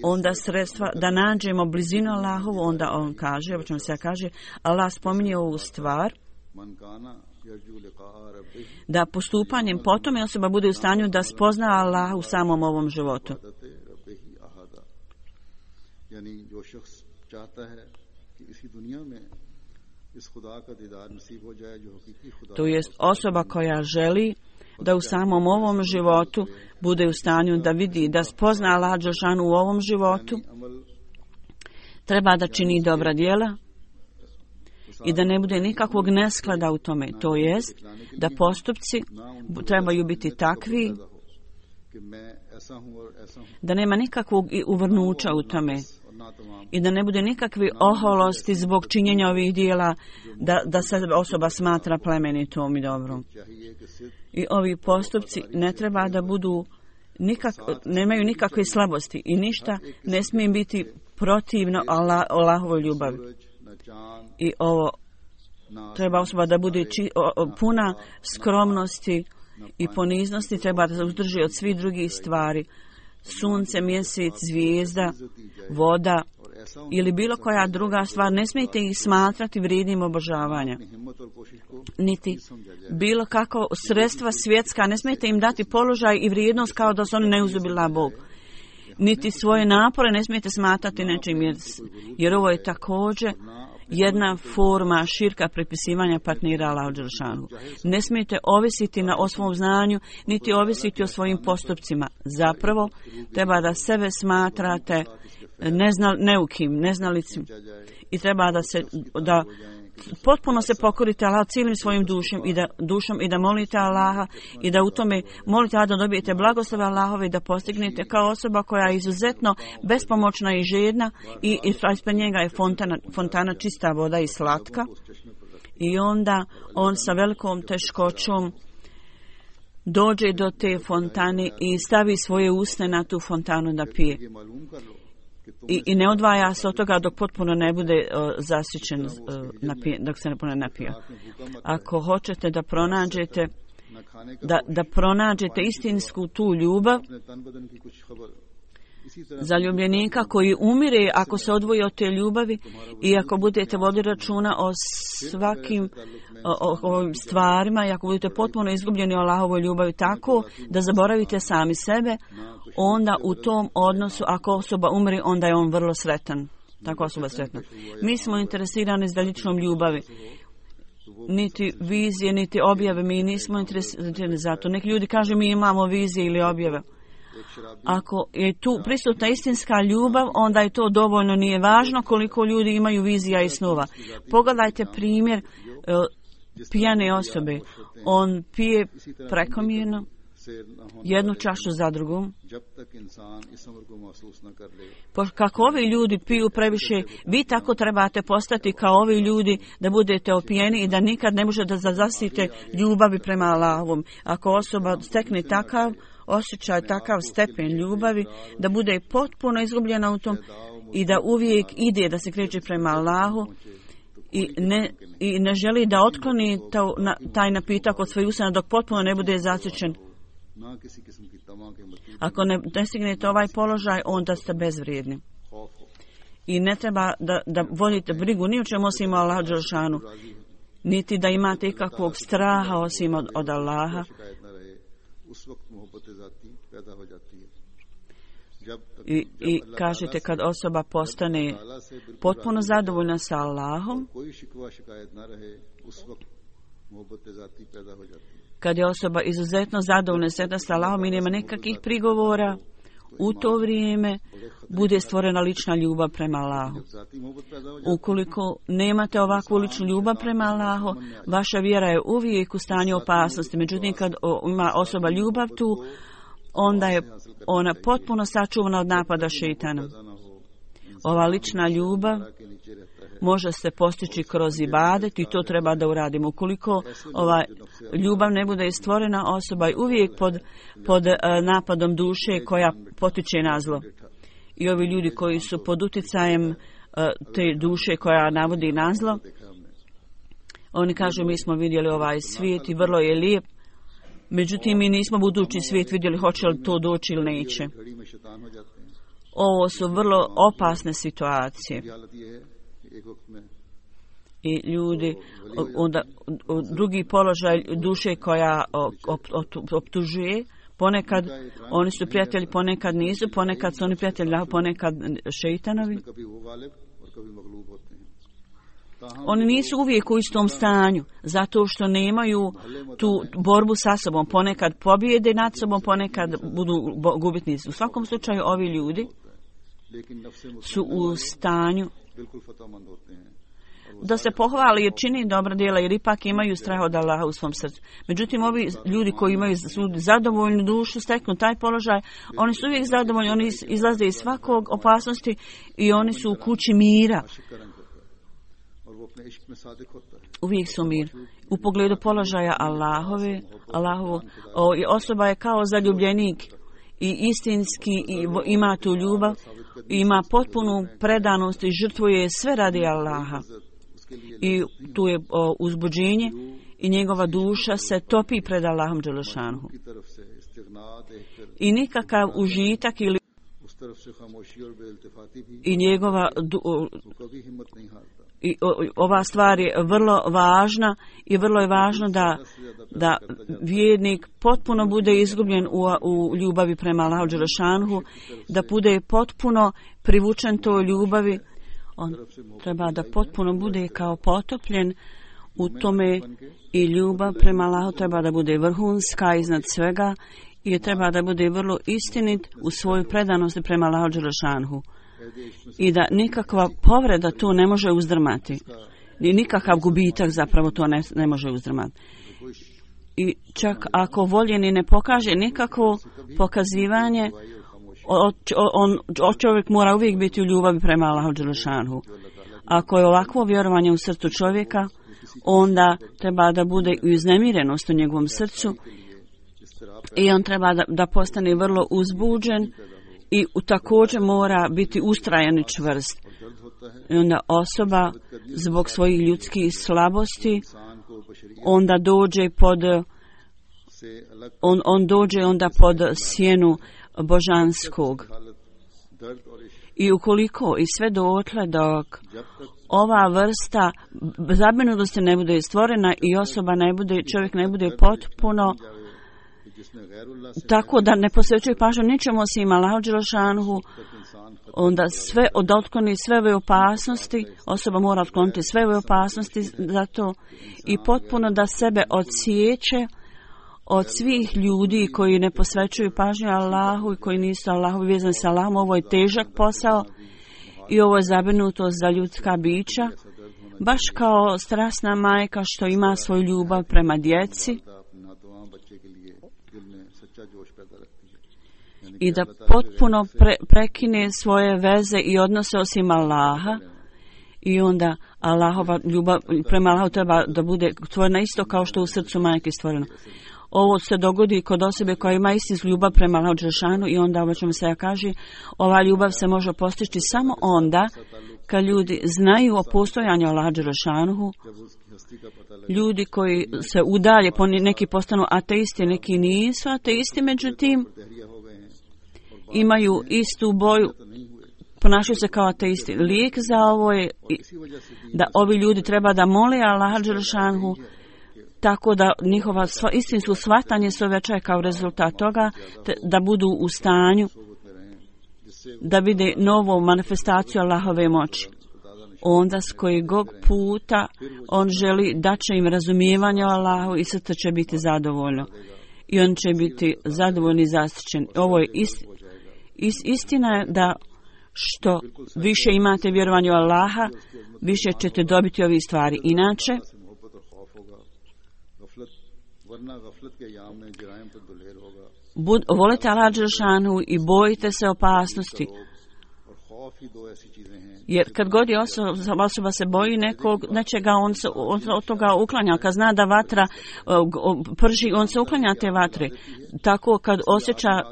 Onda sredstva da nađemo blizinu Allahovu, onda on kaže, o čemu se kaže, Allah spominje ovu stvar, da postupanjem potom osoba bude u stanju da spozna Allah u samom ovom životu. To jest osoba koja želi da u samom ovom životu bude u stanju da vidi, da spozna Allah dželešanu u ovom životu, treba da čini dobra djela i da ne bude nikakvog nesklada u tome. To jest da postupci trebaju biti takvi da nema nikakvog uvrnuća u tome. i da ne bude nikakve oholosti zbog činjenja ovih dijela, da se osoba smatra plemenitom i dobrom. I ovi postupci ne treba da budu nemaju nikakve slabosti i ništa ne smije biti protivno Allahovoj ljubavi. I ovo treba osoba da bude puna skromnosti i poniznosti, treba da se uzdrži od svih drugih stvari. Sunce, mjesec, zvijezda, voda ili bilo koja druga stvar, ne smijete ih smatrati vrijednim obožavanja. Niti bilo kako sredstva svjetska, ne smijete im dati položaj i vrijednost kao da su oni neuzubila Bog. Niti svoje napore ne smijete smatrati nečim, jer ovo je također jedna forma širka prepisivanja partnera Allahu dželešanu. Ne smijete ovisiti o svom znanju, niti ovisiti o svojim postupcima. Zapravo, treba da sebe smatrate neukim, neznalicim i treba da potpuno se pokorite Allahu cijelim svojim dušom i da molite Allaha i da u tome molite da dobijete blagoslove Allahove i da postignete kao osoba koja je izuzetno bespomoćna i žedna i ispred njega je fontana čista voda i slatka i onda on sa velikom teškoćom dođe do te fontane i stavi svoje usne na tu fontanu da pije. I ne odvaja se od toga dok potpuno ne bude zasićen, dok se ne potpuno napija. Ako hoćete da pronađete istinsku tu ljubav, zaljubljenika koji umire ako se odvoji od te ljubavi i ako budete voditi računa o svakim ovim stvarima i ako budete potpuno izgubljeni o Allahovoj ljubavi tako da zaboravite sami sebe, onda u tom odnosu ako osoba umri, onda je on vrlo sretan. Tako osoba je sretna. Mi smo interesirani za ličnom ljubavi. Niti vizije, niti objave. Mi nismo interesirani za to. Neki ljudi kažu mi imamo vizije ili objave. Ako je tu prisutna istinska ljubav, onda je to dovoljno. Nije važno koliko ljudi imaju vizija i snova. Pogledajte primjer pijane osobe. On pije prekomjerno jednu čašu za drugom. Kako ovi ljudi piju previše, vi tako trebate postati kao ovi ljudi da budete opijeni i da nikad ne možete da zasite ljubavi prema Allahovom. Ako osoba stekne takav osjećaj, takav stepen ljubavi, da bude potpuno izgubljena u tom i da uvijek ide da se kreće prema Allahu i ne želi da otkloni taj napitak od svojih usana dok potpuno ne bude zasićen. Ako ne stignete ovaj položaj, onda ste bezvrijedni. I ne treba da vodite brigu ni o čemu osim o Allahu dželešanu, niti da imate ikakvog straha osim od Allaha. I kažete kad osoba postane potpuno zadovoljna sa Allahom, kad je osoba izuzetno zadovoljna sa Allahom i nema nekakvih prigovora, u to vrijeme bude stvorena lična ljubav prema Allahu. Ukoliko nemate ovakvu ličnu ljubav prema Allahu, vaša vjera je uvijek u stanju opasnosti. Međutim, kad ima osoba ljubav tu, onda je ona potpuno sačuvana od napada šejtana. Ova lična ljubav može se postići kroz ibadet i to treba da uradimo. Ukoliko ova ljubav ne bude stvorena, osoba je uvijek pod napadom duše koja potiče na zlo. I ovi ljudi koji su pod uticajem te duše koja navodi na zlo, oni kažu mi smo vidjeli ovaj svijet i vrlo je lijep, međutim mi nismo budući svijet vidjeli hoće li to doći ili neće. Ovo su vrlo opasne situacije. I ljudi, onda drugi položaj duše koja optužuje, ponekad oni su prijatelji, ponekad nisu, ponekad su oni prijatelji, ponekad šejtanovi. Oni nisu uvijek u istom stanju, zato što nemaju tu borbu sa sobom. Ponekad pobjede nad sobom, ponekad budu gubitnici. U svakom slučaju ovi ljudi su u stanju da se pohvali jer čini dobra djela, jer ipak imaju strah od Allaha u svom srcu. Međutim, ovi ljudi koji imaju zadovoljnu dušu, steknu taj položaj, oni su uvijek zadovoljni, oni izlaze iz svakog opasnosti i oni su u kući mira. Uvijek su mir. U pogledu položaja Allahovu, osoba je kao zaljubljenik i istinski ima tu ljubav, ima potpunu predanost i žrtvuje sve radi Allaha. I tu je uzbuđenje i njegova duša se topi pred Allahom dželešanuhu. I nikakav užitak ili i njegova i ova stvar je vrlo važna i vrlo je važno da vjernik potpuno bude izgubljen u ljubavi prema Allahu dželešanuhu, da bude potpuno privučen toj ljubavi. On treba da potpuno bude kao potopljen u tome i ljubav prema Allahu treba da bude vrhunska iznad svega i treba da bude vrlo istinit u svojoj predanosti prema Allahu dželešanuhu. I da nikakva povreda tu ne može uzdrmati. I nikakav gubitak zapravo to ne može uzdrmati. I čak ako voljeni ne pokaže nikakvo pokazivanje, čovjek mora uvijek biti u ljubavi prema Allahu dželešanuhu. Ako je ovakvo vjerovanje u srcu čovjeka, onda treba da bude i uznemirenost u njegovom srcu i on treba da postane vrlo uzbuđen i također mora biti ustrajan i čvrst. I onda osoba zbog svojih ljudskih slabosti onda dođe onda pod sjenu božanskog. I ukoliko i sve dotle dok ova vrsta zabrinutosti ne bude stvorena i čovjek ne bude potpuno tako da ne posvećuje pažnju ničemu osim Allahu dželešanuhu, onda da otkloni sve ove opasnosti, osoba mora otkloniti sve ove opasnosti za to i potpuno da sebe odsjeće od svih ljudi koji ne posvećuju pažnju Allahu i koji nisu Allahu vezani sa Allahom. Ovo je težak posao i ovo je zabrinutost za ljudska bića, baš kao strasna majka što ima svoju ljubav prema djeci i da potpuno prekine svoje veze i odnose osim Allaha i onda Allahova ljubav prema Allahu treba da bude stvorena isto kao što u srcu majke stvoreno. Ovo se dogodi kod osobe koja ima istinsku ljubav prema Allahu dželešanu i onda ovo čemu se ja kaže, ova ljubav se može postići samo onda kad ljudi znaju o postojanju Allaha dželešanu. Ljudi koji se udalje, neki postanu ateisti, neki nisu ateisti, međutim imaju istu boju, ponašaju se kao ateisti. Lijek za ovo je da ovi ljudi treba da mole Allaha dželešanu tako da njihova istinsko shvatanje se uvećaje kao rezultat toga, da budu u stanju da vide novu manifestaciju Allahove moći. Onda s kojeg puta on želi da će im razumijevanje o Allahu i srce će biti zadovoljno. I on će biti zadovoljni i zaštićen. Ovo je istina je da što više imate vjerovanje u Allaha, više ćete dobiti ovi stvari. Inače, volite Allah dželešanu i bojite se opasnosti. Jer kad god je osoba se boji nečega, on se od toga uklanja. Kad zna da vatra prži, on se uklanja te vatre. Tako kad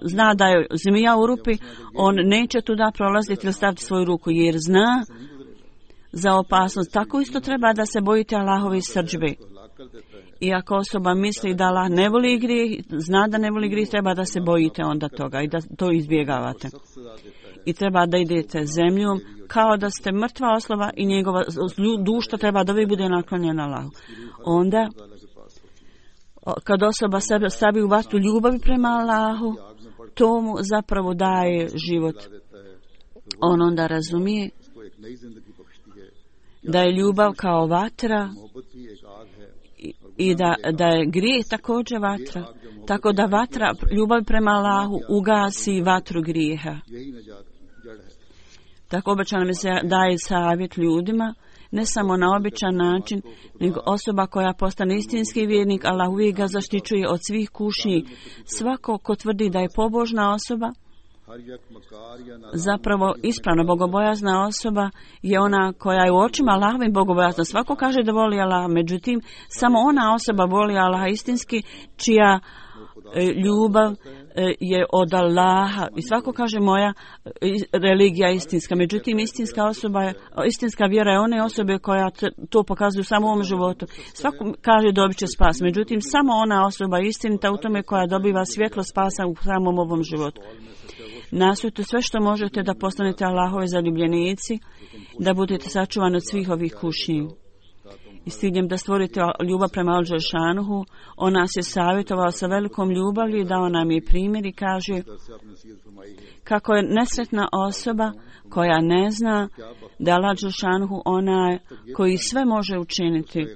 zna da je zmija u rupi, on neće tuda prolaziti ili staviti svoju ruku, jer zna za opasnost. Tako isto treba da se bojite Allahove srdžbe. I ako osoba misli da Allah ne voli grijeh, zna da ne voli grijeh, treba da se bojite onda toga i da to izbjegavate. I treba da idete zemljom kao da ste mrtva osoba i njegova duša treba da uvijek bude naklonjena Allahu. Onda, kad osoba sebe stavi u vatru ljubavi prema Allahu, to mu zapravo daje život. On onda razumije da je ljubav kao vatra i da je grijeh također vatra. Tako da vatra, ljubav prema Allahu ugasi vatru grijeha. Tako obećano mi se daje savjet ljudima ne samo na običan način, nego osoba koja postane istinski vjernik, Allah uvijek ga zaštićuje od svih kušnji. Svako ko tvrdi da je pobožna osoba, zapravo ispravno bogobojazna osoba je ona koja je u očima Allahovim bogobojazna. Svako kaže da voli Allah, međutim samo ona osoba voli Allaha istinski čija ljubav je od Allaha. I svako kaže moja religija je istinska. Međutim, istinska vjera je one osobe koja to pokazuju samo u ovom životu. Svako kaže dobit će spas. Međutim, samo ona osoba je istinita u tome koja dobiva svjetlo spasa u samom ovom životu. Nastojte sve što možete da postanete Allahove zaljubljenici, da budete sačuvani od svih ovih kušnji. I s ciljem da stvorite ljubav prema Al-Đelešanuhu, on nas je savjetovao sa velikom ljubavlju i dao nam je primjer i kaže kako je nesretna osoba koja ne zna da je Al-Đelešanuhu onaj koji sve može učiniti.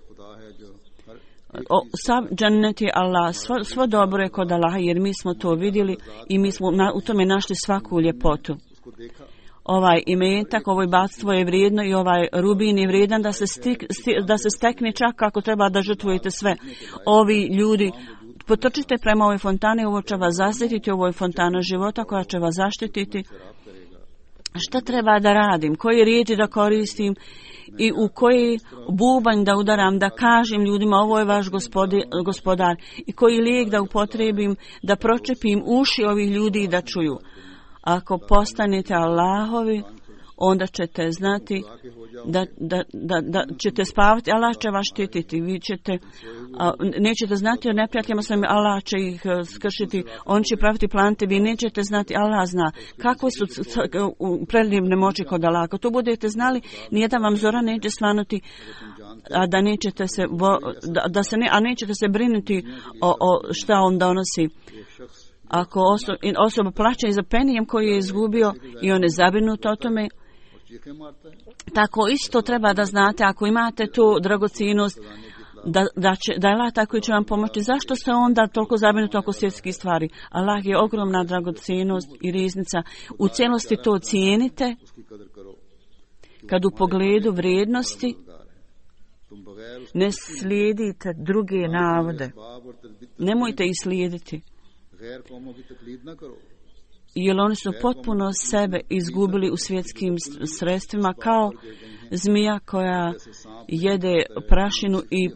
Sav džennet je Allah, svo dobro je kod Allaha, jer mi smo to vidjeli i mi smo u tome našli svaku ljepotu. Ovaj imetak, ovo bogatstvo je vrijedno i ovaj rubin je vrijedan da se stekne čak ako treba da žrtvujete sve. Ovi ljudi, potrčite prema ovoj fontani, ovo će vas zaštititi, ovo je fontana života koja će vas zaštititi. Šta treba da radim, koje riječi da koristim i u koji bubanj da udaram, da kažem ljudima ovo je vaš gospodar i koji lijek da upotrebim, da pročepim uši ovih ljudi i da čuju. Ako postanete Allahovi, onda ćete znati da ćete spavati, Allah će vas štititi, vi ćete, nećete znati o neprijateljima svojim, Allah će ih skršiti, on će praviti plante, vi nećete znati, Allah zna kakve su predivne moći kod Allah. Ako to budete znali, nijedan vam zora neće svanuti, a da nećete se, nećete se brinuti o šta on donosi. Ako osoba plaća i za penijem koji je izgubio i on je zabrinut o tome, tako isto treba da znate, ako imate tu dragocjenost, da je Allah tako će vam pomoći. Zašto ste onda toliko zabrinuti oko svjetskih stvari? Allah je ogromna dragocjenost i riznica. U cijelosti to cijenite, kad u pogledu vrijednosti ne slijedite druge navode. Nemojte ih slijediti. Jer oni su potpuno sebe izgubili u svjetskim sredstvima kao zmija koja jede prašinu i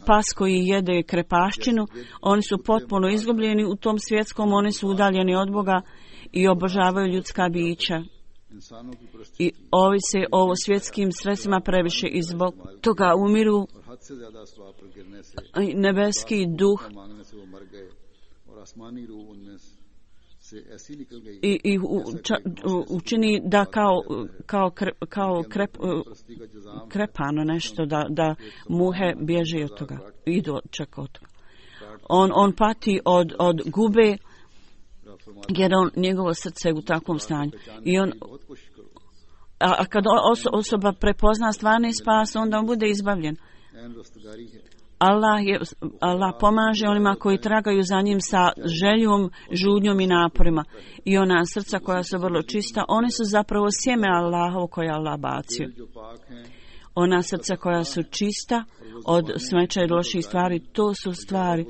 pas koji jede krepaščinu. Oni su potpuno izgubljeni u tom svjetskom, oni su udaljeni od Boga i obožavaju ljudska bića. I ovise o svjetskim sredstvima previše i zbog toga umiru. Nebeski duh i učini da kao krepano nešto, da muhe bježe od toga, idu čak od toga. On pati od gube, jer njegovo srce je u takvom stanju. I a kad osoba prepozna stvarni spas, onda on bude izbavljen. Allah pomaže onima koji tragaju za njim sa željom, žudnjom i naporima. I ona srca koja su vrlo čista, one su zapravo sjeme Allahovo koje je Allah bacio. Ona srca koja su čista od smeća i loših stvari, to su stvari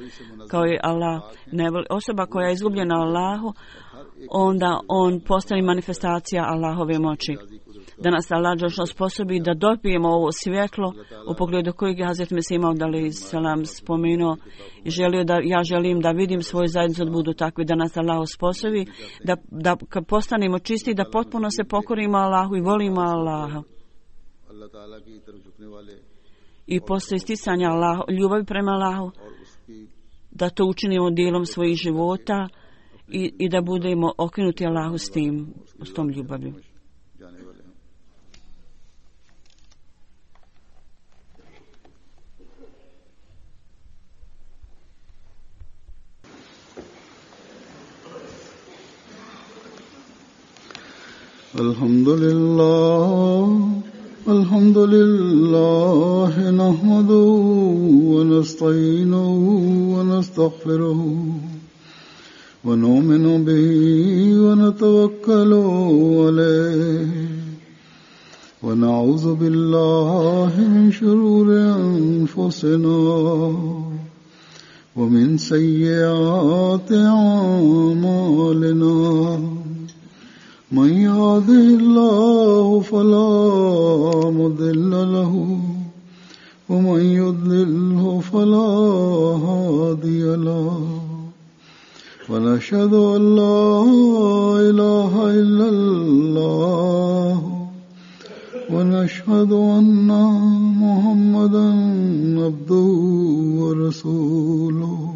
koje Allah ne voli. Osoba koja je izgubljena Allahu, onda on postane manifestacija Allahove moći. Da nas Allah sposobi da dobijemo ovo svjetlo u pogledu kojeg je Hazret Mesih Maud alejhi selam spomenuo i ja želim da vidim svoju zajednicu da budu takvi, da nas Allah sposobi da postanemo čisti, da potpuno se pokorimo Allahu i volimo Allaha. I posle isticanja ljubavi prema Allahu, da to učinimo dijelom svojih života i da budemo okrenuti Allahu s tom ljubavlju. الحمد لله نحمده ونستعينه ونستغفره ونؤمن به ونتوكل عليه ونعوذ بالله من شرور أنفسنا ومن سيئات أعمالنا من يهده الله فلا مضل له ومن يضلله فلا هادي له ونشهد أن لا إله إلا الله ونشهد أن محمدا عبده ورسوله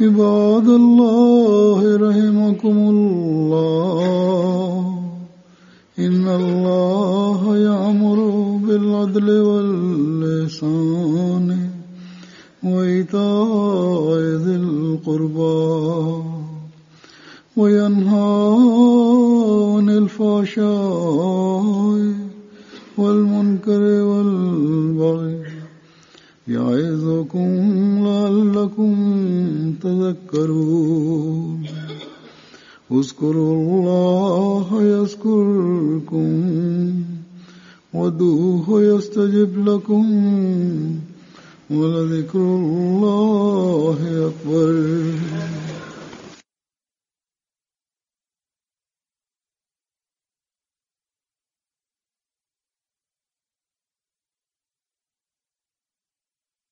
عباد الله رحمكم الله إن الله يأمر بالعدل والإحسان وإيتاء ذي القربى وينهى عن الفحشاء والمنكر والبغي يعظكم لعلكم تذكرون اذكروا الله يذكركم وادعوه يستجب لكم ولذكر الله أكبر.